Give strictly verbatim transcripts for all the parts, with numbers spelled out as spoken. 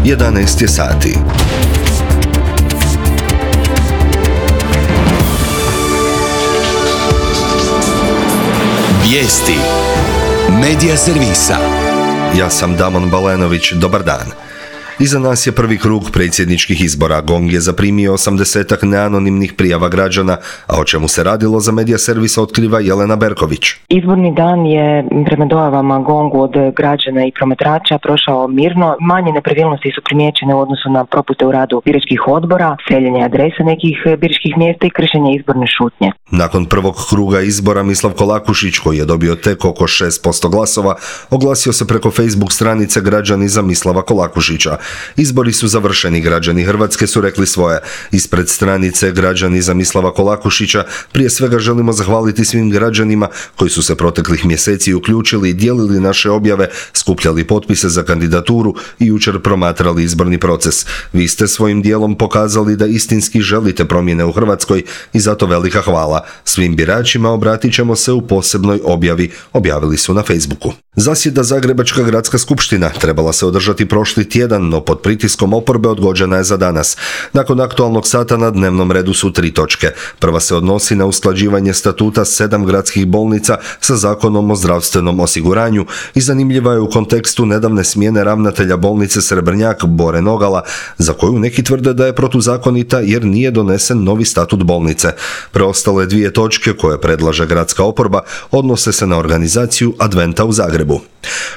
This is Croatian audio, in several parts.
jedanaest je sati. Vijesti Medija servisa. Ja sam Damon Balenović, dobar dan. Iza nas je prvi krug predsjedničkih izbora. Gong je zaprimio osamdesetak neanonimnih prijava građana, a o čemu se radilo za Medija servisa otkriva Jelena Berković. Izborni dan je prema dojavama Gongu od građana i promatrača prošao mirno. Manje nepravilnosti su primijećene u odnosu na propuste u radu biračkih odbora, seljenje adresa nekih biračkih mjesta i kršenje izborne šutnje. Nakon prvog kruga izbora Mislav Kolakušić, koji je dobio tek oko šest posto glasova, oglasio se preko Facebook stranice Građani za Mislava Kolakušića. Izbori su završeni, građani Hrvatske su rekli svoje. Ispred stranice Građani za Mislava Kolakušića prije svega želimo zahvaliti svim građanima koji su se proteklih mjeseci uključili i dijelili naše objave, skupljali potpise za kandidaturu i jučer promatrali izborni proces. Vi ste svojim dijelom pokazali da istinski želite promjene u Hrvatskoj i zato velika hvala. Svim biračima obratit ćemo se u posebnoj objavi, objavili su na Facebooku. Zasjeda Zagrebačka gradska skupština trebala se održati prošli tjedan, no pod pritiskom oporbe odgođena je za danas. Nakon aktualnog sata na dnevnom redu su tri točke. Prva se odnosi na usklađivanje statuta sedam gradskih bolnica sa Zakonom o zdravstvenom osiguranju i zanimljiva je u kontekstu nedavne smjene ravnatelja bolnice Srebrnjak Bore Nogala, za koju neki tvrde da je protuzakonita jer nije donesen novi statut bolnice. Preostale dvije točke koje predlaže gradska oporba odnose se na organizaciju Adventa u Zagrebu.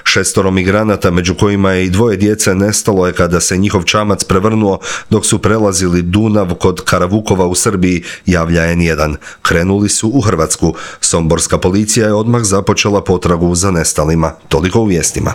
Šestoro migranata, među kojima je i dvoje djece, nestalo je kada se njihov čamac prevrnuo dok su prelazili Dunav kod Karavukova u Srbiji, javlja en jedan. Krenuli su u Hrvatsku. Somborska policija je odmah započela potragu za nestalima. Toliko u vijestima.